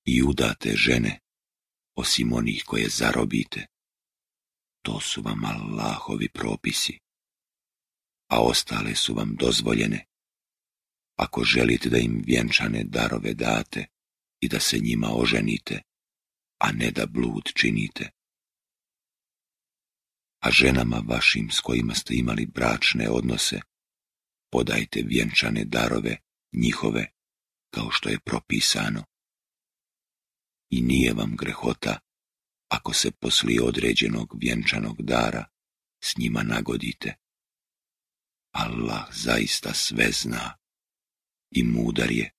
i udate žene, osim onih koje zarobite. To su vam Allahovi propisi, a ostale su vam dozvoljene, ako želite da im vjenčane darove date i da se njima oženite, a ne da blud činite. A ženama vašim s kojima ste imali bračne odnose, podajte vjenčane darove njihove, kao što je propisano. I nije vam grehota, ako se poslije određenog vjenčanog dara s njima nagodite. Allah zaista sve zna i mudar je.